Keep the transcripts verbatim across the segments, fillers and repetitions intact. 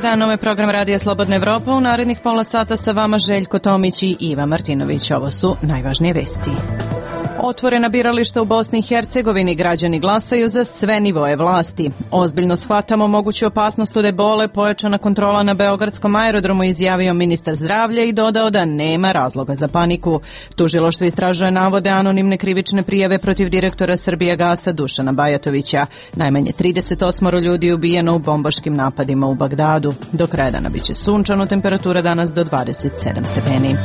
dan, ovo je program Radija Slobodna Evropa. U narednih pola sata sa vama Željko Tomić i Iva Martinović. Ovo su najvažnije vesti. Otvorena birališta u Bosni i Hercegovini, građani glasaju za sve nivoe vlasti. Ozbiljno shvatamo moguću opasnost od ebole, pojačana kontrola na beogradskom aerodromu, izjavio ministar zdravlja i dodao da nema razloga za paniku. Tužilaštvo istražuje navode anonimne krivične prijave protiv direktora Srbijagasa Dušana Bajatovića. Najmanje trideset osam ljudi ubijeno u bombaškim napadima u Bagdadu. Do kraja dana biće sunčano, temperatura danas do dvadeset sedam stepeni.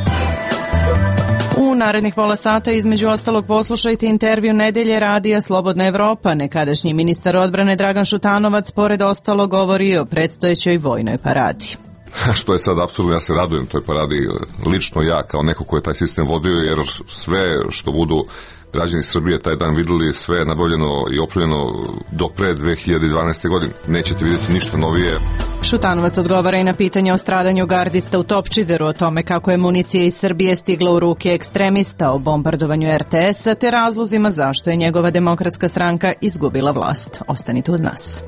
U narednih pola sata između ostalog poslušajte intervju Nedelje Radija Slobodna Evropa. Nekadašnji ministar odbrane Dragan Šutanovac pored ostalo govori o predstojećoj vojnoj paradi. Što je sad apsolutno, ja se radujem toj paradi, lično ja kao neko ko je taj sistem vodio, jer sve što budu građani Srbije taj dan videli, sve je nabavljeno i opremljeno do pre dve hiljade dvanaeste. godine. Nećete vidjeti ništa novije. Šutanovac odgovara i na pitanje o stradanju gardista u Topčideru, o tome kako je municija iz Srbije stigla u ruke ekstremista, o bombardovanju er te esa te razlozima zašto je njegova demokratska stranka izgubila vlast. Ostanite uz nas.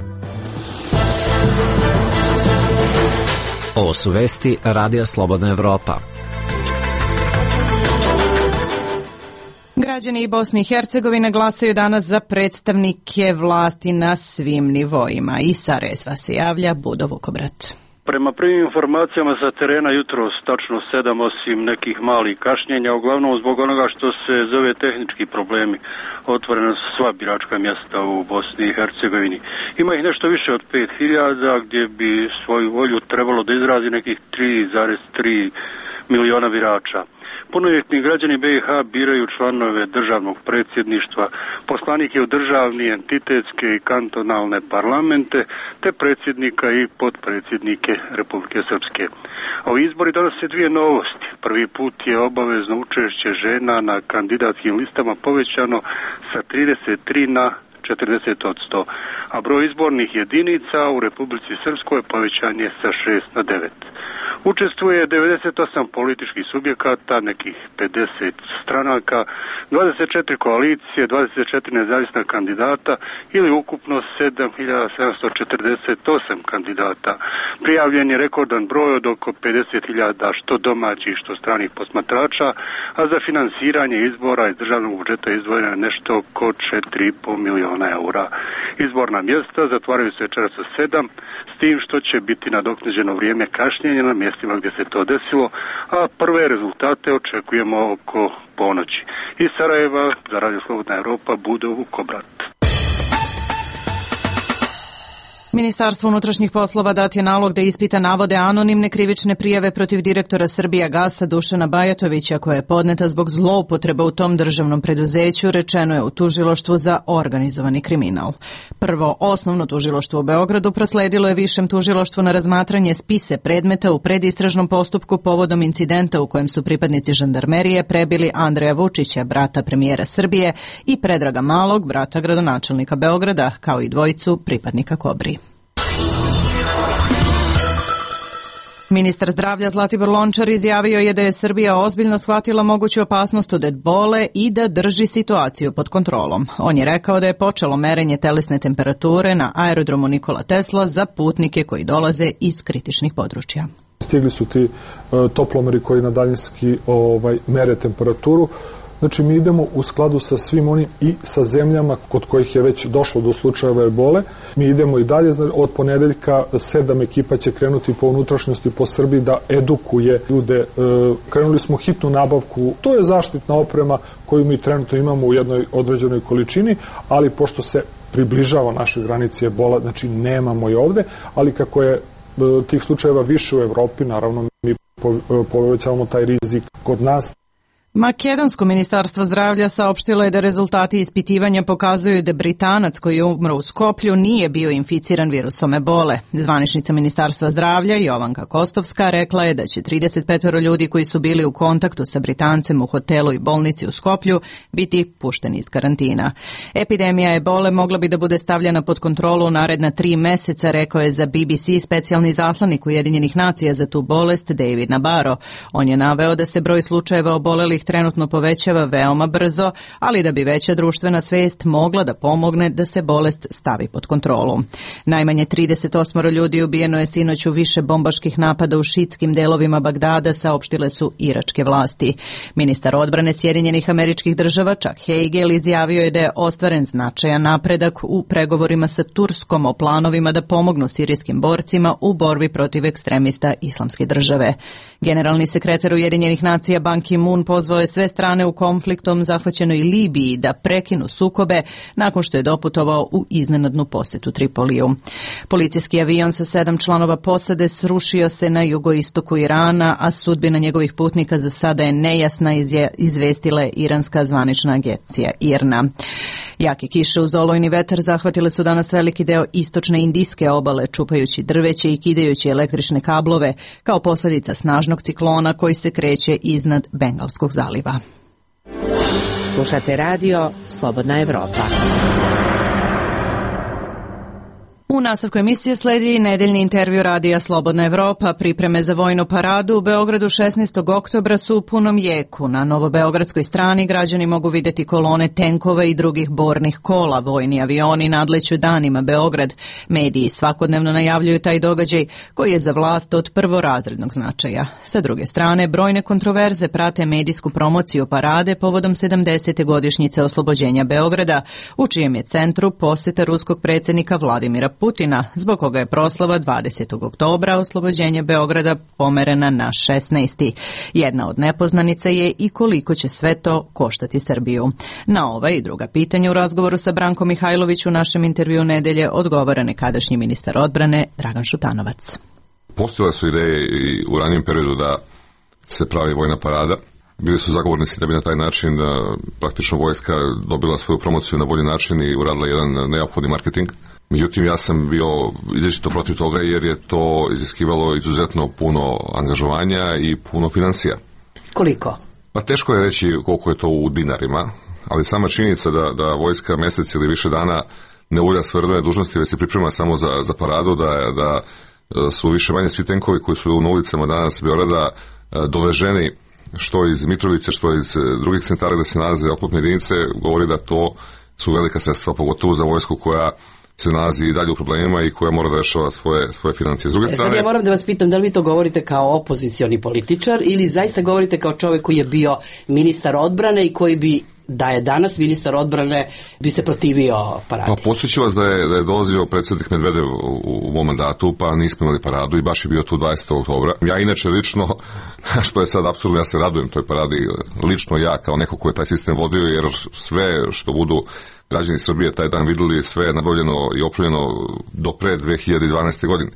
Ovo su vesti Radija Slobodna Evropa. Građani Bosne i Hercegovine glasaju danas za predstavnike vlasti na svim nivoima. Iz Sarajeva se javlja Budo Vukobrat. Prema prvim informacijama sa terena jutros tačno sedam, osim nekih malih kašnjenja, uglavnom zbog onoga što se zove tehnički problemi. Otvorena su sva biračka mjesta u Bosni i Hercegovini. Ima ih nešto više od pet hiljada, gdje bi svoju volju trebalo da izrazi nekih tri zarez tri miliona birača. Punoljetni građani be i ha biraju članove državnog predsjedništva, poslanike u državni, entitetske i kantonalne parlamente, te predsjednika i potpredsjednike Republike Srpske. Ovi izbori donose dvije novosti. Prvi put je obavezno učešće žena na kandidatskim listama povećano sa trideset tri na četrdeset posto, a broj izbornih jedinica u Republici Srpskoj povećan je sa šest na devet. Učestvuje devedeset osam političkih subjekata, nekih pedeset stranaka, dvadeset četiri koalicije, dvadeset četiri nezavisna kandidata ili ukupno sedam hiljada sedamsto četrdeset osam kandidata. Prijavljen je rekordan broj od oko pedeset hiljada što domaćih što stranih posmatrača, a za finansiranje izbora iz državnog budžeta izdvojeno je nešto oko četiri i po miliona eura. Izborna mjesta zatvaraju se večeras u sedam, s tim što će biti nadoknađeno vrijeme kašnjenja na mjestima gdje se to desilo, a prve rezultate očekujemo oko ponoći. Iz Sarajeva za Radio Slobodna Evropa, Budo Vukobrat. Ministarstvo unutrašnjih poslova dat je nalog da ispita navode anonimne krivične prijave protiv direktora Srbijagasa Dušana Bajatovića, koja je podneta zbog zloupotreba u tom državnom preduzeću, rečeno je u tužilaštvu za organizovani kriminal. Prvo, osnovno tužilaštvo u Beogradu prosledilo je višem tužilaštvu na razmatranje spise predmeta u predistražnom postupku povodom incidenta u kojem su pripadnici žandarmerije prebili Andreja Vučića, brata premijera Srbije, i Predraga Malog, brata gradonačelnika Beograda, kao i dvojicu pripadnika Kobri. Ministar zdravlja Zlatibor Lončar izjavio je da je Srbija ozbiljno shvatila moguću opasnost od ebole i da drži situaciju pod kontrolom. On je rekao da je počelo merenje telesne temperature na aerodromu Nikola Tesla za putnike koji dolaze iz kritičnih područja. Stigli su ti uh, toplomeri koji na daljinski ovaj, mere temperaturu. Znači, mi idemo u skladu sa svim onim i sa zemljama kod kojih je već došlo do slučajeva ebole. Mi idemo i dalje, od ponedeljka sedam ekipa će krenuti po unutrašnjosti po Srbiji da edukuje ljude. Krenuli smo hitnu nabavku, to je zaštitna oprema koju mi trenutno imamo u jednoj određenoj količini, ali pošto se približava našoj granici ebola, znači nemamo je ovde, ali kako je tih slučajeva više u Evropi, naravno mi povećavamo taj rizik kod nas. Makedonsko ministarstvo zdravlja saopštilo je da rezultati ispitivanja pokazuju da Britanac koji je umro u Skoplju nije bio inficiran virusom ebole. Zvaničnica ministarstva zdravlja Jovanka Kostovska rekla je da će trideset pet ljudi koji su bili u kontaktu sa Britancem u hotelu i bolnici u Skoplju biti pušteni iz karantina. Epidemija ebole mogla bi da bude stavljena pod kontrolu u naredna tri meseca, rekao je za be be ce specijalni zaslanik Ujedinjenih nacija za tu bolest David Nabarro. On je naveo da se broj slučajeva obolelih trenutno povećava veoma brzo, ali da bi veća društvena svest mogla da pomogne da se bolest stavi pod kontrolu. Najmanje trideset osam ljudi ubijeno je sinoć u više bombaških napada u šiitskim delovima Bagdada, saopštile su iračke vlasti. Ministar odbrane Sjedinjenih Američkih Država Chuck Hagel izjavio je da je ostvaren značajan napredak u pregovorima sa Turskom o planovima da pomognu sirijskim borcima u borbi protiv ekstremista Islamske države. Generalni sekretar Ujedinjenih nacija Ban Ki-moon pozvao je sve strane u konfliktom zahvaćenoj Libiji da prekinu sukobe nakon što je doputovao u iznenadnu posetu Tripoliju. Policijski avion sa sedam članova posade srušio se na jugoistoku Irana, a sudbina njegovih putnika za sada je nejasna, izvestila je iranska zvanična agencija I R N A. Jake kiše uz olujni vetar zahvatile su danas veliki deo istočne indijske obale, čupajući drveće i kidajući električne kablove kao posljedica snažnog ciklona koji se kreće iznad Bengalskog zaliva. Slušate radio Slobodna Evropa. U nastavku emisije sledi nedeljni intervju radija Slobodna Evropa. Pripreme za vojnu paradu u Beogradu šesnaestog oktobra su u punom jeku. Na novobeogradskoj strani građani mogu vidjeti kolone tenkova i drugih bornih kola. Vojni avioni nadleću danima Beograd. Mediji svakodnevno najavljuju taj događaj koji je za vlast od prvorazrednog značaja. Sa druge strane, brojne kontroverze prate medijsku promociju parade povodom sedamdesete godišnjice oslobođenja Beograda, u čijem je centru posjeta ruskog predsjednika Vladimira Putina, zbog koga je proslava dvadesetog oktobra oslobođenje Beograda pomerena na šesnaesti Jedna od nepoznanica je i koliko će sve to koštati Srbiju. Na ova i druga pitanja u razgovoru sa Brankom Mihajlović u našem intervju nedelje odgovara nekadašnji ministar odbrane Dragan Šutanovac. Postojale su ideje i u ranijem periodu da se pravi vojna parada. Bili su zagovornici da bi na taj način praktično vojska dobila svoju promociju na bolji način i uradila jedan neophodni marketing. Međutim, ja sam bio izričito protiv toga jer je to iziskivalo izuzetno puno angažovanja i puno financija. Koliko? Pa teško je reći koliko je to u dinarima, ali sama činjenica da, da vojska mjesec ili više dana ne ulja svoje redovne dužnosti, već se priprema samo za, za paradu, da, da su više manje svi tenkovi koji su na ulicama danas Beograda doveženi što iz Mitrovice, što iz drugih centara da se nalaze oklopne jedinice, govori da to su velika sredstva, pogotovo za vojsku koja se nalazi i dalje u problemima i koja mora da rešava svoje, svoje financije. S druge strane, sad ja moram da vas pitam, da li vi to govorite kao opozicioni političar ili zaista govorite kao čovjek koji je bio ministar odbrane i koji bi, da je danas ministar odbrane, bi se protivio paradi? Pa podsjećam vas da je, da je dolazio predsjednik Medvedev u, u mom mandatu, pa nismo imali paradu i baš je bio tu dvadesetog oktobra. Ja inače lično, što je sad apsurdno, ja se radujem toj paradi, lično ja kao neko ko je taj sistem vodio, jer sve što budu građani Srbije taj dan vidjeli, sve je nabavljeno i opremljeno do pre dve hiljade dvanaeste. godine.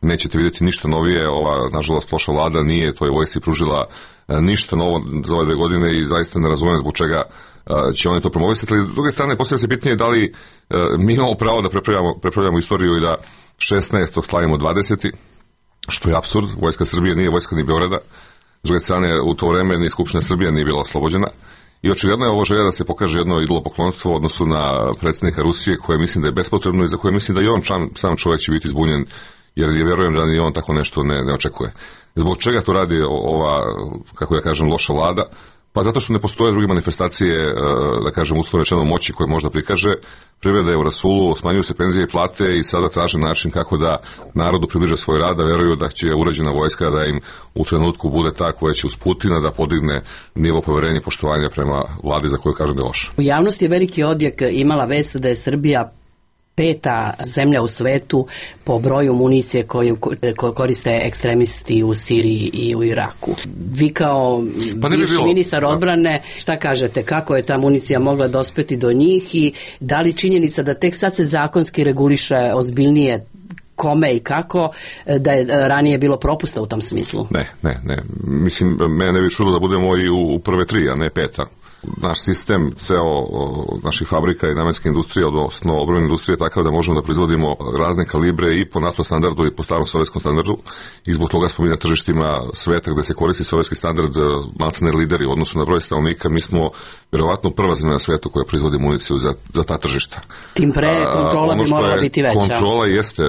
Nećete vidjeti ništa novije, ova, nažalost, loša vlada nije toj vojsci pružila ništa novo za ove dve godine i zaista ne razumijem zbog čega će oni to promovisati. Ali s druge strane, postavlja se pitanje da li mi imamo pravo da prepravljamo, prepravljamo istoriju i da šesnaestog slavimo dvadeseti što je apsurd. Vojska Srbije nije vojska ni Beograda. S druge strane, u to vreme ni Skupština Srbije nije bila oslobođena. I očigledno je ovo želja da se pokaže jedno idolopoklonstvo u odnosu na predsjednika Rusije, koje mislim da je bespotrebno i za koje mislim da i on čam, sam čovjek će biti zbunjen, jer je vjerujem da ni on tako nešto ne, ne očekuje. Zbog čega to radi ova, kako ja kažem, loša vlada? Pa zato što ne postoje druge manifestacije, da kažem, uslovno rečeno moći koje možda prikaže. Privreda je u rasulu, smanjuju se penzije i plate i sada traže način kako da narodu približe svoj rad, da veruju da će uređena vojska da im u trenutku bude ta koja će uz Putina da podigne nivo poverenja i poštovanja prema vladi za koju kažem da je loša. U javnosti je veliki odjek imala vest da je Srbija peta zemlja u svetu po broju municije koju koriste ekstremisti u Siriji i u Iraku. Vi kao pa bivši bi ministar odbrane, šta kažete, kako je ta municija mogla dospeti do njih i da li činjenica da tek sad se zakonski reguliše ozbiljnije kome i kako, da je ranije bilo propusta u tom smislu? Ne, ne, ne. Mislim, mene ne bi čulo da budemo i u prve tri, a ne peta. Naš sistem, ceo naših fabrika i namenske industrije, odnosno obrambene industrije, je takav da možemo da proizvodimo razne kalibre i po NATO standardu i po starom sovjetskom standardu i zbog toga smo mi na tržištima sveta gde se koristi sovjetski standard maltene lideri u odnosu na broj stanovnika. Mi smo vjerovatno prva zemlja na svetu koja proizvodi municiju za, za ta tržišta. Tim pre kontrola bi morala biti veća. Kontrola jeste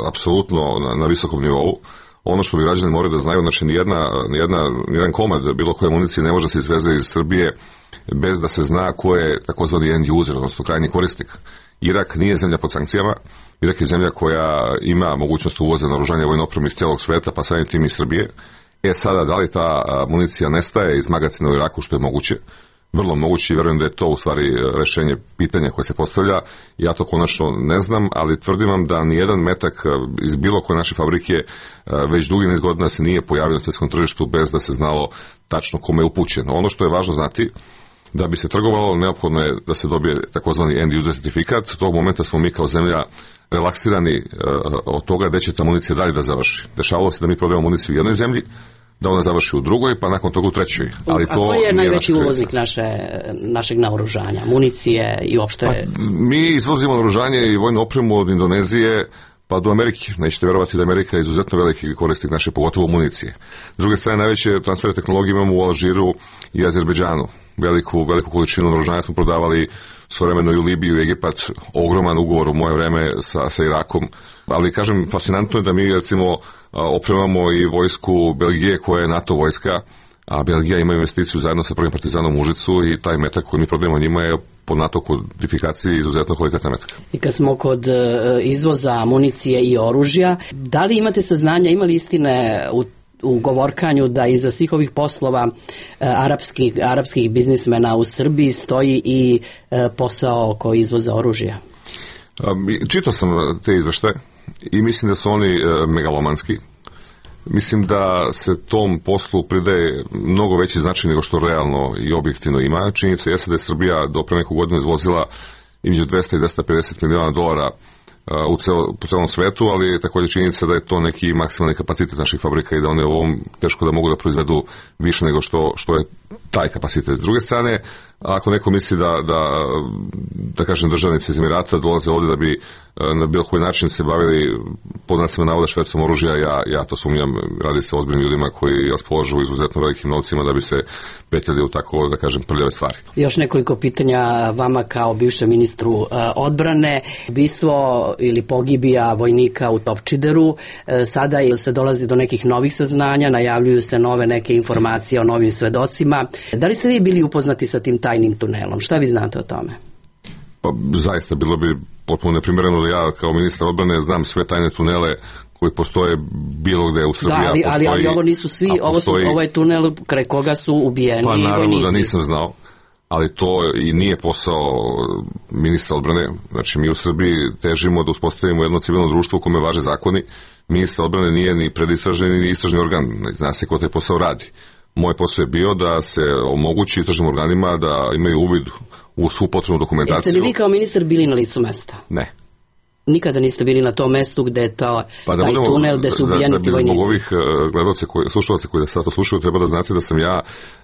apsolutno na, na visokom nivou. ono što bi građani morali da znaju, znači nijedna, nijedna, nijedan komad bilo koje municije ne može se izveze iz Srbije bez da se zna ko je takozvani end user, odnosno krajnji korisnik. Irak nije zemlja pod sankcijama, Irak je zemlja koja ima mogućnost uvoza naoružanja vojne opreme iz celog sveta, pa samim tim i Srbije. E sada, da li ta municija nestaje iz magacina u Iraku, što je moguće? Vrlo moguće i verujem da je to u stvari rešenje pitanja koje se postavlja. Ja to konačno ne znam, ali tvrdim vam da nijedan metak iz bilo koje naše fabrike već dugi niz godina se nije pojavio na svetskom tržištu bez da se znalo tačno kome je upućen. Ono što je važno znati, da bi se trgovalo, neophodno je da se dobije takozvani end user certifikat. U tog momenta smo mi kao zemlja relaksirani od toga gde će ta municija dalje da završi. Dešavalo se da mi prodajemo municiju u jednoj zemlji, da ona završi u drugoj, pa nakon toga u trećoj. Ali A to ko je najveći naš uvoznik naše, našeg naoružanja, municije i uopšte? Pa, mi izvozimo naoružanje i vojnu opremu od Indonezije pa do Amerike. Nećete verovati da Amerika je izuzetno veliki korisnik naše, pogotovo municije. S druge strane, najveće transfere tehnologije imamo u Alžiru i Azerbejdžanu. Veliku, veliku količinu naoružanja smo prodavali svojevremeno i u Libiju i Egipat, ogroman ugovor u moje vreme sa, sa Irakom. Ali, kažem, fascinantno je da mi, recimo, opremamo i vojsku Belgije koja je NATO vojska, a Belgija ima investiciju zajedno sa prvim partizanom u Užicu i taj metak koji mi prodajemo njima je po NATO kodifikaciji izuzetno kvalitetna metak. I kad smo kod izvoza municije i oružja, da li imate saznanja, ima li istine u u govorkanju da iza svih ovih poslova e, arapskih, arapskih biznismena u Srbiji stoji i e, posao oko izvoza oružja? Čitao sam te izveštaje i mislim da su oni e, megalomanski. Mislim da se tom poslu pridaje mnogo veći značaj nego što realno i objektivno ima. Činjenica jeste da je Srbija do pre neku godinu izvozila između dvesta i dvesta pedeset miliona dolara u celo, po celom svetu, ali je također činjenica da je to neki maksimalni kapacitet naših fabrika i da one u ovom teško da mogu da proizvedu više nego što, što je taj kapacitet. S druge strane, ako neko misli da, da, da kažem, državnici iz Emirata dolaze ovde da bi na bilo koji način se bavili pod znacima navoda švercom oružja, ja, ja to sumnjam, radi se o ozbiljnim ljudima koji raspolažu izuzetno velikim novcima da bi se petljali u tako, da kažem, prljave stvari. Još nekoliko pitanja vama kao bivšem ministru uh, odbrane. Ubistvo ili pogibija vojnika u Topčideru, uh, sada se dolazi do nekih novih saznanja, najavljuju se nove neke informacije o novim svedocima. Da li ste vi bili upoznati sa tim tajnim tunelom? Šta vi znate o tome? Pa zaista bilo bi potpuno neprimereno da ja kao ministar odbrane znam sve tajne tunele koji postoje bilo gde u Srbiji. Da, ali, postoji, ali, ali ovo nisu svi, ovo, su, postoji, ovo je tunel kraj koga su ubijeni pa, vojnici. Pa naravno da nisam znao, ali to i nije posao ministra odbrane. Znači mi u Srbiji težimo da uspostavimo jedno civilno društvo u kome važe zakoni. Ministar odbrane nije ni predistražni ni istražni organ, zna se ko taj posao radi. Moj posao je bio da se omogući istražnim organima da imaju uvid u svu potrebnu dokumentaciju. Jeste li vi kao ministar bili na licu mesta? Ne. Nikada niste bili na tom mestu gde je to, pa da taj budemo, tunel gde su ubijeni ti vojnici? Zbog ovih gledalce, koji, slušalaca koji da sad to slušaju, treba da znate da sam ja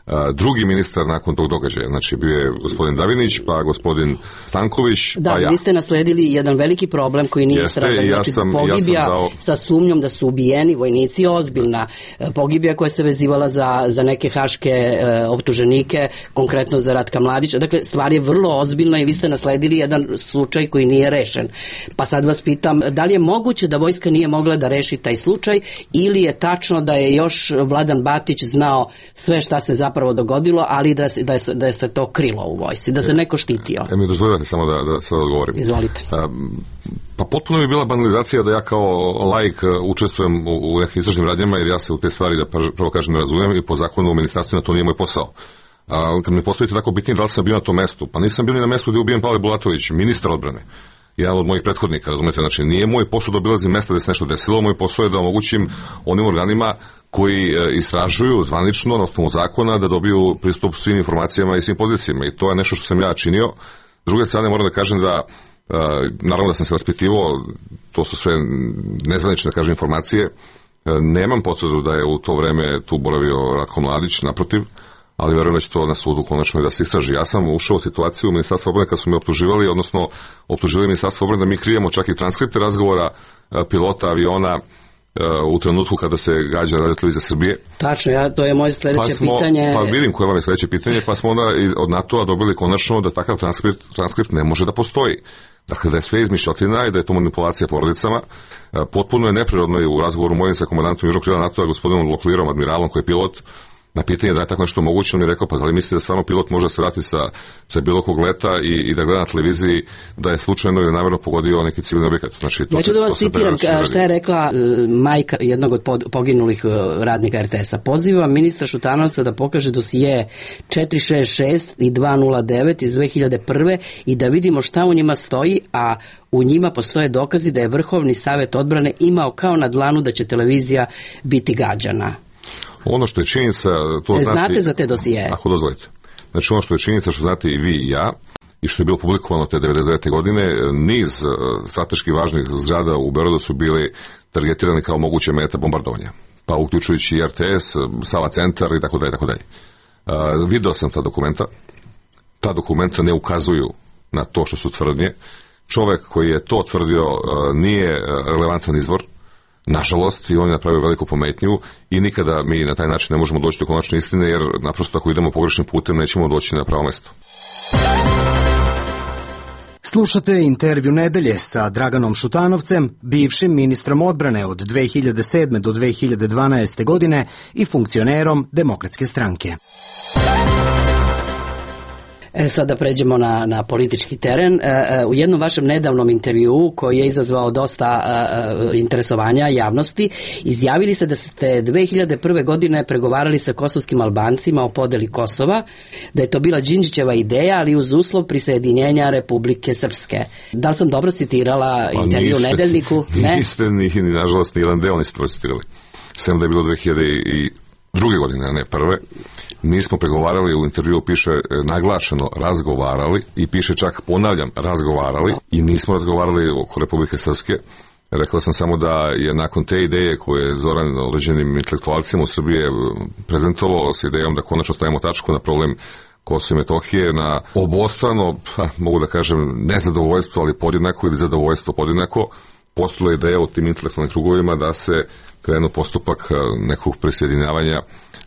a, drugi ministar nakon tog događaja. Znači, bio je gospodin Davinić, pa gospodin Stanković, da, pa ja. Da, vi ste nasledili jedan veliki problem koji nije istražen. Ja znači, sam, pogibija ja sam dao... sa sumnjom da su ubijeni vojnici, ozbiljna pogibija koja se vezivala za, za neke haške e, optuženike, konkretno za Ratka Mladića. Dakle, stvar je vrlo ozbiljna i vi ste nasledili jedan slučaj koji nije rešen. Pa sad vas pitam, da li je moguće da vojska nije mogla da reši taj slučaj ili je tačno da je još Vladan Batić znao sve šta se zapravo dogodilo, ali da se, da je, da je se to krilo u vojsci, da se neko štitio? E, mi dozvoljate samo da, da sad odgovorim. Izvolite. A, pa potpuno mi je bila banalizacija da ja kao laik učestvujem u, u nekim istražnim radnjama, jer ja se u te stvari, da prvo kažem, ne razumijem i po zakonu o ministarstvima to nije moj posao. A, kad mi postavite tako bitnije da li sam bio na tom mestu, pa nisam bio ni na mestu gde je ubijen Pavle Bulatović, ministar odbrane, jedan od mojih prethodnika, razumete, znači nije moj posao da obilazim mesta gde se nešto desilo, moj posao je da omogućim onim organima koji e, istražuju zvanično na osnovu zakona da dobiju pristup svim informacijama i svim pozicijama i to je nešto što sam ja činio. S druge strane moram da kažem da e, naravno da sam se raspitivo, to su sve nezvanične, da kažem, informacije, e, nemam potvrdu da je u to vreme tu boravio Ratko Mladić, naprotiv, ali verujem da će to na sudu konačno i da se istraži. Ja sam ušao u situaciju u Ministarstvu odbrane kad su me optuživali, odnosno optužili Ministarstvo odbrane da mi krijemo čak i transkripte razgovora pilota aviona u trenutku kada se gađa radiotelevizija Srbije. Tačno, ja, to je moje sledeće pa smo, pitanje. Pa vidim koje vam je sledeće pitanje, pa smo onda od NATO-a dobili konačno da takav transkript, transkript ne može da postoji. Dakle, da je sve izmišljotina i da je to manipulacija porodicama. Potpuno je neprirodno i u razgovoru mojim sa komandantom Južnog krila NATO-a, gospodinom Loklirom, admiralom koji je pilot, na pitanje da je tako nešto moguće, on je rekao, pa da li mislite da stvarno pilot može da se vrati sa, sa bilo kog leta i, i da gleda na televiziji da je slučajno ili namjerno pogodio neki civilni objekat. Znači, to ja ću da vas citiram šta je rekla majka jednog od pod, poginulih radnika er te es-a. Pozivam ministra Šutanovca da pokaže dosije četiri šest šest i dva nula devet iz dve hiljade prve i da vidimo šta u njima stoji, a u njima postoje dokazi da je Vrhovni savet odbrane imao kao na dlanu da će televizija biti gađana. Ono što je činjenica, to znate... Znate za te dosije? Ako dozvolite. Znači ono što je činjenica, što znate i vi i ja, i što je bilo publikovano te devedeset devete godine, niz strateški važnih zgrada u Beogradu su bili targetirani kao moguće meta bombardovanja. Pa uključujući i er te es, Sava centar i tako dalje, tako dalje. Video sam ta dokumenta. Ta dokumenta ne ukazuju na to što su tvrdnje. Čovek koji je to tvrdio nije relevantan izvor, nažalost, i on je napravio veliku pometnju i nikada mi na taj način ne možemo doći do konačne istine, jer naprosto ako idemo pogrešnim putem nećemo doći na pravo mesto. Slušate intervju nedelje sa Draganom Šutanovcem, bivšim ministrom odbrane od dve hiljade sedme do dve hiljade dvanaeste godine i funkcionerom Demokratske stranke. E, sada pređemo na, na politički teren. E, e, u jednom vašem nedavnom intervjuu koji je izazvao dosta e, interesovanja javnosti, izjavili ste da ste dve hiljade prve godine pregovarali sa kosovskim Albancima o podeli Kosova, da je to bila Đinđićeva ideja, ali uz uslov prisajedinjenja Republike Srpske. Da li sam dobro citirala pa intervju niste, u Nedeljniku? Ne? Niste, ni, ni nažalost, ni jedan deo niste procitirali. Sem da je bilo dve hiljade druge godine, a ne prve. Nismo pregovarali, u intervjuu piše naglašeno razgovarali i piše čak, ponavljam, razgovarali i nismo razgovarali oko Republike Srpske. Rekao sam samo da je nakon te ideje koje je Zoran određenim intelektualcima u Srbiji prezentovao sa idejom da konačno stavimo tačku na problem Kosova i Metohije, na obostrano, ha, mogu da kažem, nezadovoljstvo, ali podjednako ili zadovoljstvo podjednako, postala ideja u tim intelektualnim krugovima da se krenu postupak nekog prisjedinjavanja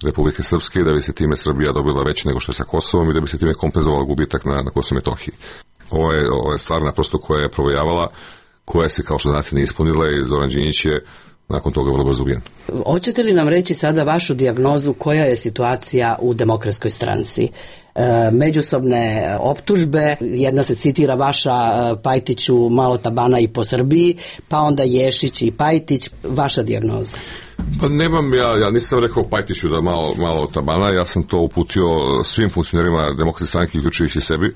Republike Srpske i da bi se time Srbija dobila veće nego što je sa Kosovom i da bi se time kompenzovala gubitak na, na Kosovo i Metohiji. Ovo je, ovo je stvar naprosto koja je provojavala, koja se kao što znate nije ispunila i Zoran Đinđić je nakon toga vrlo brzo ubijen. Hoćete li nam reći sada vašu dijagnozu koja je situacija u Demokratskoj stranci? E, međusobne optužbe, jedna se citira vaša Pajtiću malo tabana i po Srbiji, pa onda Ješić i Pajtić, vaša dijagnoza? Pa nemam, ja, ja nisam rekao Pajtiću da malo, malo tabana, ja sam to uputio svim funkcionerima Demokratske stranke, uključujući sebi.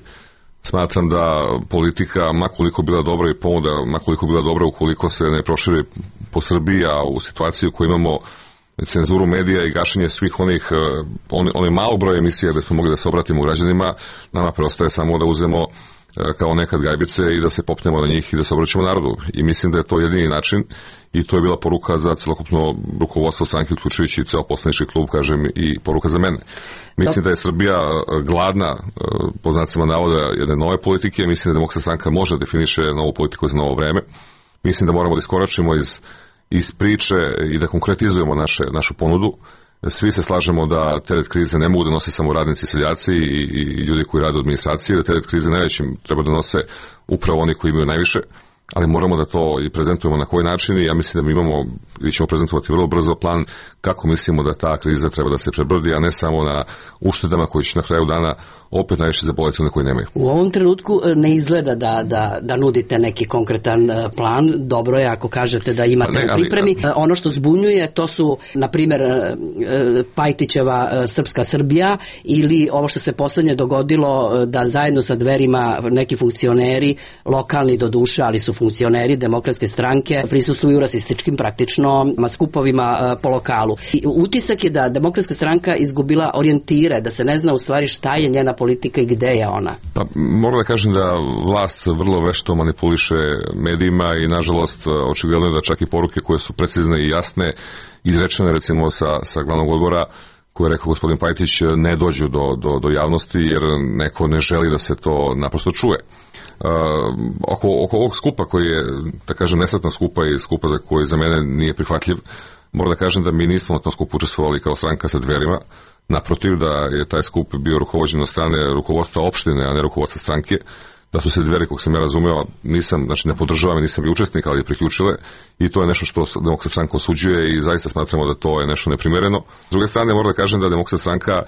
Smatram da politika, makoliko bila dobra i ponuda, makoliko bila dobra ukoliko se ne proširi po Srbiji, a u situaciji u kojoj imamo cenzuru medija i gašenje svih onih, on, one malo broja emisija gde smo mogli da se obratimo građanima, nama preostaje samo da uzmemo kao nekad gajbice i da se popnemo na njih i da se obraćamo narodu. I mislim da je to jedini način i to je bila poruka za celokupno rukovodstvo stranke, uključujući ceo poslanički klub, kažem, i poruka za mene. Mislim da je Srbija gladna, po znacima navoda, jedne nove politike. Mislim da Demokratska stranka može da definiše novu politiku za novo vreme. Mislim da moramo da iskoračimo iz, iz priče i da konkretizujemo naše, našu ponudu. Svi se slažemo da teret krize ne mogu da nose samo radnici, seljaci i, i ljudi koji rade u administraciji, da teret krize najvećim treba da nose upravo oni koji imaju najviše, ali moramo da to i prezentujemo na koji način i ja mislim da mi imamo i ćemo prezentovati vrlo brzo plan kako mislimo da ta kriza treba da se prebrodi, a ne samo na uštedama koji će na kraju dana opet najviše zaboliti one koji nemaju. U ovom trenutku ne izgleda da, da, da nudite neki konkretan plan. Dobro je ako kažete da imate ne, u pripremi. Ali, ono što zbunjuje to su, na primjer, Pajtićeva Srpska Srbija ili ovo što se poslednje dogodilo da zajedno sa Dverima neki funkcioneri, lokalni do duše, ali su funkcioneri Demokratske stranke, prisustvuju rasističkim praktično skupovima po lokalu. I utisak je da Demokratska stranka izgubila orijentire, da se ne zna u stvari šta je njena politika i gde je ona. Pa, moram da kažem da vlast vrlo vešto manipuliše medijima i nažalost očigledno je da čak i poruke koje su precizne i jasne, izrečene recimo sa, sa glavnog odbora, koje je rekao gospodin Pajtić, ne dođu do, do, do javnosti jer neko ne želi da se to naprosto čuje. Uh, oko, oko ovog skupa koji je, da kažem, nesretna skupa i skupa za koji za mene nije prihvatljiv, moram da kažem da mi nismo na tom skupu učestvovali kao stranka sa Dverima, naprotiv da je taj skup bio rukovođen od strane rukovodstva opštine, a ne rukovodstva stranke. da su se Dveri, kog sam ja razumeo, nisam, znači ne podržavam i nisam bio učesnik, ali je priključile, i to je nešto što Demokratska stranka osuđuje i zaista smatramo da to je nešto neprimjereno. S druge strane, moram da kažem da Demokratska stranka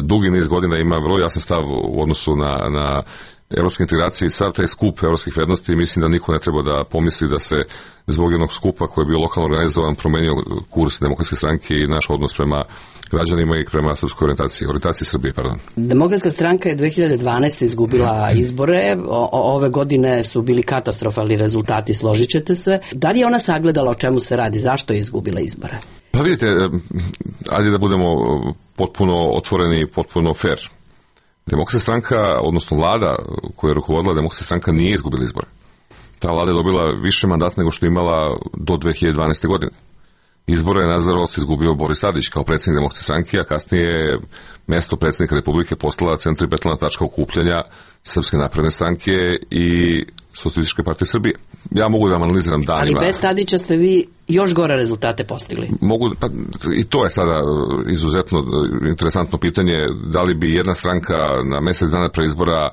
dugi niz godina ima vrlo jasan stav u odnosu na, na evropske integracije i sav taj skup evropskih vrednosti, i mislim da niko ne treba da pomisli da se zbog jednog skupa koji je bio lokalno organizovan promenio kurs Demokratske stranke i naš odnos prema građanima i prema srpskoj orijentaciji, orijentaciji Srbije, pardon. Demokratska stranka je dve hiljade dvanaeste. izgubila izbore, o, ove godine su bili katastrofalni rezultati, složit ćete se. Da li je ona sagledala o čemu se radi, zašto je izgubila izbore? Pa vidite, ajde da budemo potpuno otvoreni i potpuno fair. Demokratska stranka, odnosno vlada koja je rukovodila Demokratska stranka, nije izgubila izbore. Ta vlada je dobila više mandata nego što je imala do dve hiljade dvanaeste. godine. Izbore je nažalost izgubio Boris Tadić kao predsjednik Demokratske stranke, a kasnije je mesto predsjednika Republike postala centripetalna tačka okupljanja Srpske napredne stranke i Socijalističke partije Srbije. Ja mogu da vam analiziram danima. Ali bez Tadića ste vi još gore rezultate postigli. Mogu, pa i to je sada izuzetno interesantno pitanje, da li bi jedna stranka na mjesec dana pre izbora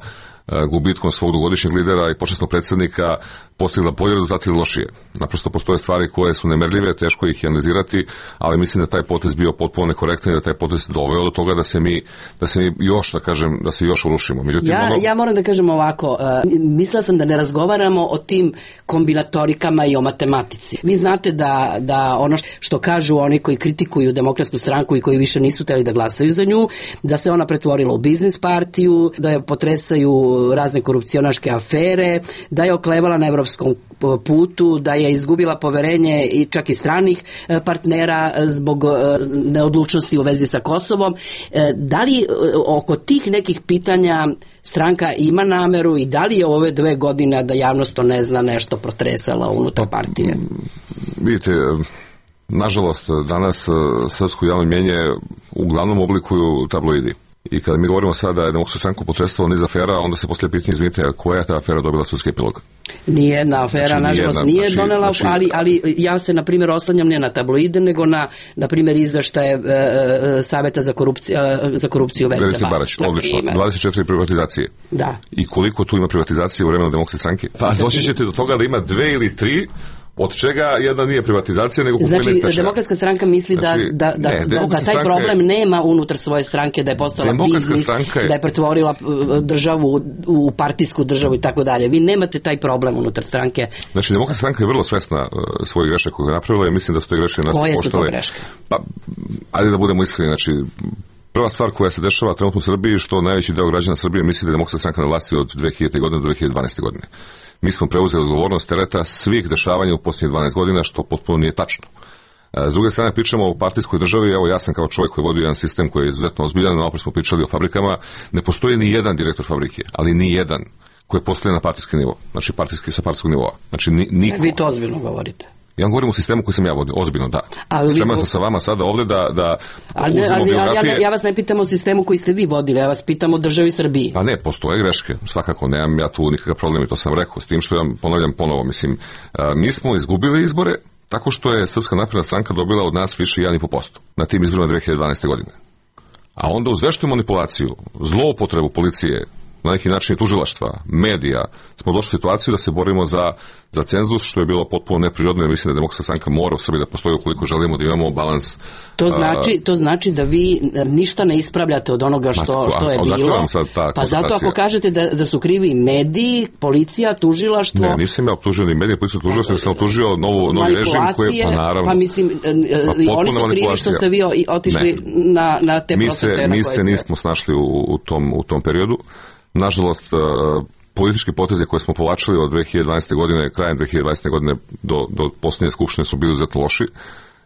gubitkom svog dugogodišnjeg lidera i počasnog predsjednika postigla bolje rezultate ili lošije. Naprosto postoje stvari koje su nemerljive, teško ih analizirati, ali mislim da taj potez bio potpuno nekorektan i da taj potez doveo do toga da se mi, da se mi još, da kažem, da se još urušimo. Međutim, ja, ono... ja moram da kažem ovako, uh, mislila sam da ne razgovaramo o tim kombinatorikama i o matematici. Vi znate da, da ono što kažu oni koji kritikuju Demokratsku stranku i koji više nisu hteli da glasaju za nju, da se ona pretvorila u biznis partiju, da je potresaju razne korupcionaške afere, da je oklevala na evropskom putu, da je izgubila poverenje i čak i stranih partnera zbog neodlučnosti u vezi sa Kosovom. Da li oko tih nekih pitanja stranka ima nameru i da li je ove dve godine, da javnost to ne zna, nešto protresala unutar partije? Vidite, nažalost, danas srpsko javno mnjenje uglavnom oblikuju tabloidi. I kada mi govorimo sada da je Demokratsku stranku potresalo niz afera, onda se poslije pitanje, izvinite, koja je ta afera dobila sudski epilog? Nijedna afera, znači, nažalost, nije znači, donela, znači, ali, ali ja se, na primjer, oslanjam ne na tabloide, nego na, na primjer, izveštaje e, e, Saveta za korupciju, e, za korupciju Verice Verice Barać, odlično. dvadeset četiri privatizacije. Da. I koliko tu ima privatizacije u vremenu Demokratske stranke? Pa doći ćete do toga da ima dve ili tri, od čega jedna nije privatizacija, nego kupovina znači, stečaja. Demokratska stranka misli da, znači, da, da, ne, da, da taj problem je, nema unutar svoje stranke, da je postala biznis, je, da je pretvorila državu u, u partijsku državu i tako dalje. Vi nemate taj problem unutar stranke. Znači, Demokratska stranka je vrlo svesna uh, svojih grešaka koje je napravila i mislim da su te greške nas Koje poštale. Su to greške? Pa, ajde da budemo iskreni, znači, prva stvar koja se dešava trenutno u Srbiji, što najveći deo građana Srbije misli da je Demokratska stranka na vlasti od dve hiljadite. godine do dve hiljade dvanaeste. godine. Mi smo preuzeli odgovornost tereta svih dešavanja u posljednjih dvanaest godina, što potpuno nije tačno. S druge strane, pričamo o partijskoj državi, evo ja sam kao čovjek koji vodi jedan sistem koji je izuzetno ozbiljan, naprijed smo pričali o fabrikama, ne postoji ni jedan direktor fabrike, ali ni jedan koji je postavljen na partijski nivo, znači partijski sa partijskog nivoa. Znači ni, niko. Vi to ozbiljno govorite. Ja vam govorim o sistemu koji sam ja vodio, ozbiljno, da. Spreman sam sa vama sada ovdje da, da ali, uzmemo ali, biografije. Ja, ja vas ne pitam o sistemu koji ste vi vodili, ja vas pitam o državi Srbiji. Pa ne, postoje greške, svakako, nemam ja tu nikakav problem i to sam rekao, s tim što ja ponavljam ponovo, mislim, a, mi smo izgubili izbore tako što je Srpska napredna stranka dobila od nas više jedan i po posto na tim izborima dve hiljade dvanaeste. godine. A onda uz veštu manipulaciju, zloupotrebu policije, na neki način tužilaštva, medija, smo došli u situaciju da se borimo za, za cenzus, što je bilo potpuno neprirodno, jer mislim da Demokratska stranka mora u Srbiji da postoji ukoliko želimo da imamo balans. To znači, to znači da vi ništa ne ispravljate od onoga što, što je bilo. Pa zato ako kažete da, da su krivi mediji, policija, tužilaštvo... Ne, nisam ja optužio ni medije, policija, tužilaštvo, sam optužio novu, novi režim koji, pa naravno... Pa mislim, pa oni su krivi što ste vi otišli na, na te mi se, mi se nismo snašli u, u, tom, u tom periodu. Nažalost, politički poteze koje smo povlačili od dve hiljade dvanaeste. godine, krajem dve hiljade dvanaeste. godine do, do posljednje skupštine su bili izuzetno loši.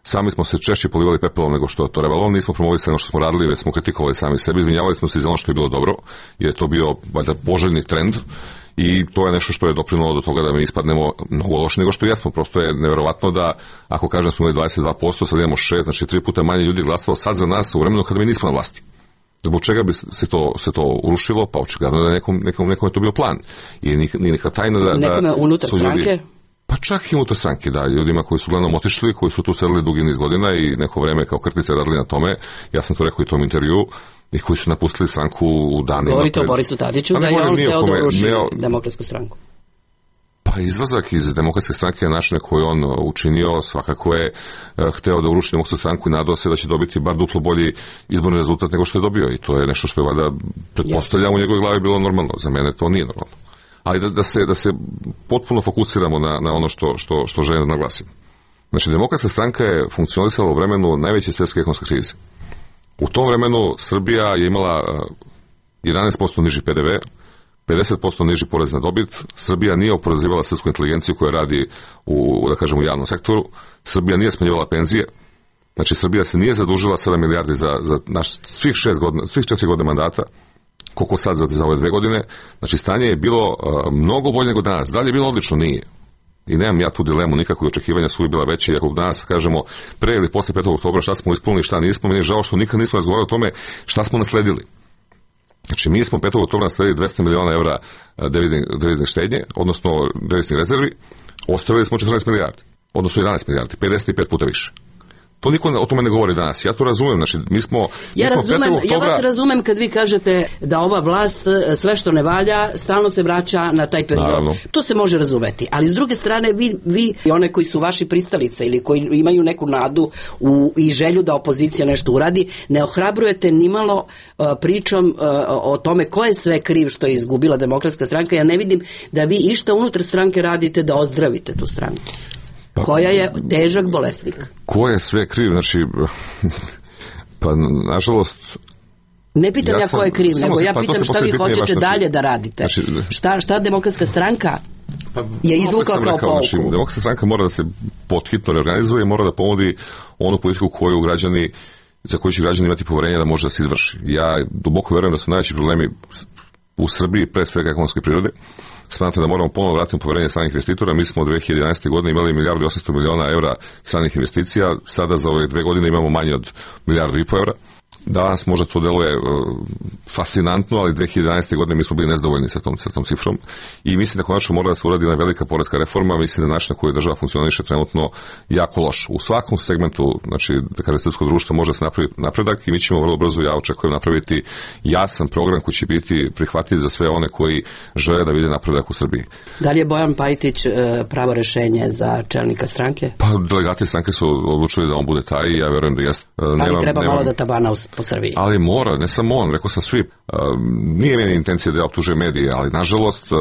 Sami smo se češće polivali pepelom nego što je to trebalo. Nismo promovisali ono što smo radili, već smo kritikovali sami sebi. Izvinjavali smo se za ono što je bilo dobro, jer je to bio valjda poželjni trend. I to je nešto što je doprinulo do toga da mi ispadnemo mnogo loše nego što jesmo. Prosto je neverovatno da, ako kažem smo imali dvadeset dva posto, sad imamo šest, znači tri puta manje ljudi glasalo sad za nas u vremenu kada mi nismo na vlasti. Zbog čega bi se to, se to urušilo? Pa očigledno da nekom, nekom, nekom je to bio plan. I nije neka tajna da, nekome da unutar su ljudi... stranke? Pa Pa čak i unutar stranke, da, ljudima koji su glavnom otišli, koji su tu sedeli dugi niz godina i neko vreme kao krtice radili na tome, ja sam to rekao i u tom intervju, i koji su napustili stranku u danima. Govorite pred... o Borisu Tadiću, da je on hteo da uruši Demokratsku stranku. Pa izlazak iz Demokratske stranke na način koji on učinio, svakako je hteo da uruši Demokratsku stranku i nadao se da će dobiti bar duplo bolji izborni rezultat nego što je dobio, i to je nešto što je valjda pretpostavljam u njegovoj glavi bilo normalno. Za mene to nije normalno. Ali da, da, se, da se potpuno fokusiramo na, na ono što, što, što želim da naglasim. Znači, Demokratska stranka je funkcionisala u vremenu najveće svjetske ekonomske krize. U tom vremenu Srbija je imala jedanaest posto niži P D V, pedeset posto niži porez na dobit. Srbija nije oporezivala srpsku inteligenciju koja radi u, da kažem, u javnom sektoru. Srbija nije smanjivala penzije. Znači, Srbija se nije zadužila sedam milijardi za, za naš, svih šest godina, svih četiri godine mandata, koliko sad za, za ove dve godine. Znači, stanje je bilo uh, mnogo bolje nego danas. Da li je bilo odlično? Nije. I nemam ja tu dilemu, nikakve očekivanja su bila veće, i ako danas kažemo pre ili posle petog oktobra šta smo ispunili, šta nismo, meni je žao što nikad nismo razgovarali o tome šta smo nasledili. Znači, mi smo petog oktobra nasledili dvesta miliona evra devizne, devizne štednje, odnosno deviznih rezervi, ostavili smo četrnaest milijardi, odnosno jedanaest milijardi, pedeset pet puta više. To niko o tome ne govori danas. Ja to razumem. Znači, mi smo, mi ja, smo razumem, oktobra... ja vas razumem kad vi kažete da ova vlast sve što ne valja stalno se vraća na taj period. Naravno. To se može razumeti. Ali s druge strane, vi, vi i one koji su vaši pristalice ili koji imaju neku nadu u, i želju da opozicija nešto uradi, ne ohrabrujete nimalo uh, pričom uh, o tome ko je sve kriv što je izgubila Demokratska stranka. Ja ne vidim da vi išta unutar stranke radite da ozdravite tu stranku. Pa, koja je težak bolesnik. Ko je sve kriv? Znači, pa nažalost... Ne pitam ja, ja ko je kriv, nego se, ja pitam pa šta vi hoćete baš, dalje znači, da radite. Znači, šta, šta Demokratska stranka pa, je izvukla kao pouku? Znači, Demokratska stranka mora da se podhitno reorganizuje i mora da ponudi onu politiku koju građani, za koju će građani imati poverenje da može da se izvrši. Ja duboko verujem da su najveći problemi u Srbiji, pre svega ekonomske prirode. Smatram da moramo ponovno vratiti poverenje stranih investitora. Mi smo od dve hiljade jedanaeste. godine imali milijardu i osamsto miliona evra stranih investicija, sada za ove dve godine imamo manje od milijardu i po evra. Danas možda to deluje uh, fascinantno, ali dve hiljade jedanaeste. godine mi smo bili nezadovoljni sa tom, sa tom cifrom i mislim da konačno mora da se uradi jedna velika poreska reforma. Mislim da način na koji država funkcioniše trenutno jako loš. U svakom segmentu, znači, da kaže, srpsko društvo može da se napravi napredak i mi ćemo vrlo brzo, ja očekujem, napraviti jasan program koji će biti prihvatljiv za sve one koji žele da vide napredak u Srbiji. Da li je Bojan Pajtić pravo rešenje za čelnika stranke? Pa delegati stranke su odlučili da on bude taj i ja verujem da jeste. Ali nemam, treba nemam... malo da tabana po Srbiji. Ali mora, ne samo on, rekao sam svi. Uh, nije meni intencija da ja optužujem medije, ali nažalost uh,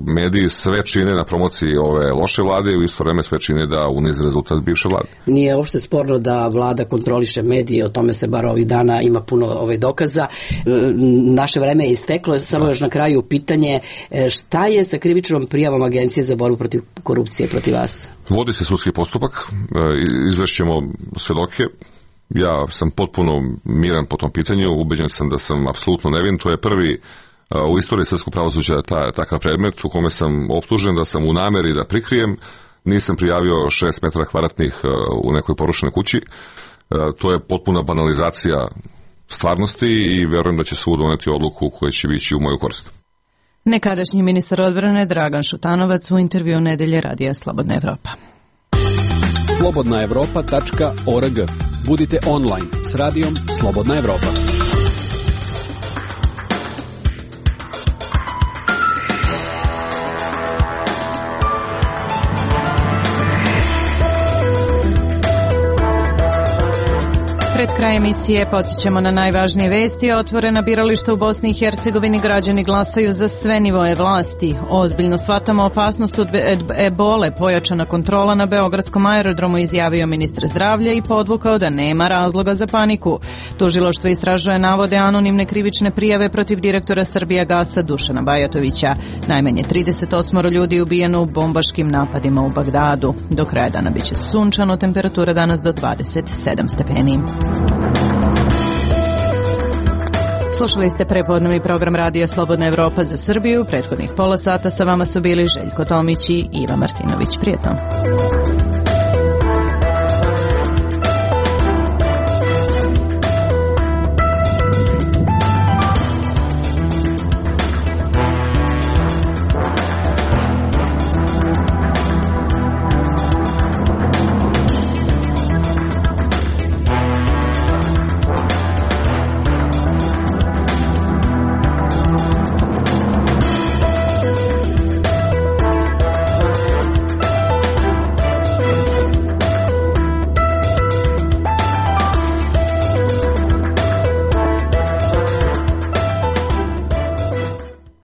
mediji sve čine na promociji ove loše vlade i u isto vreme sve čine da unize rezultat bivše vlade. Nije uopšte sporno da vlada kontroliše medije, o tome se bar ovih dana ima puno ove dokaza. Naše vreme je isteklo, samo još na kraju pitanje, šta je sa krivičnom prijavom Agencije za borbu protiv korupcije protiv vas? Vodi se sudski postupak, izvešćemo svedoke. Ja sam potpuno miran po tom pitanju, ubeđen sam da sam apsolutno nevin. To je prvi uh, u istoriji srpskog pravosuđa ta, takav predmet u kome sam optužen da sam u nameri da prikrijem. Nisam prijavio šest metara kvadratnih uh, u nekoj porušenoj kući. Uh, to je potpuna banalizacija stvarnosti i verujem da će sud doneti odluku koja će biti u moju korist. Nekadašnji ministar odbrane Dragan Šutanovac u intervju Nedelje radija Slobodna Evropa. slobodna evropa tačka org. Budite online s radijom Slobodna Evropa. Pred kraj emisije podsjećamo na najvažnije vesti. Otvorena birališta u Bosni i Hercegovini, građani glasaju za sve nivoe vlasti. Ozbiljno shvatamo opasnost od ebole, pojačana kontrola na beogradskom aerodromu, izjavio ministar zdravlja i podvukao da nema razloga za paniku. Tužilaštvo istražuje navode anonimne krivične prijave protiv direktora Srbijagasa Dušana Bajatovića. Najmanje trideset osam ljudi ubijeno u bombaškim napadima u Bagdadu. Do kraja dana biće sunčano, temperatura danas do dvadeset sedam stepeni. Slušali ste prepodnevni program radija Slobodna Evropa za Srbiju. Prethodnih pola sata sa vama su bili Željko Tomić i Iva Martinović. Prijetno.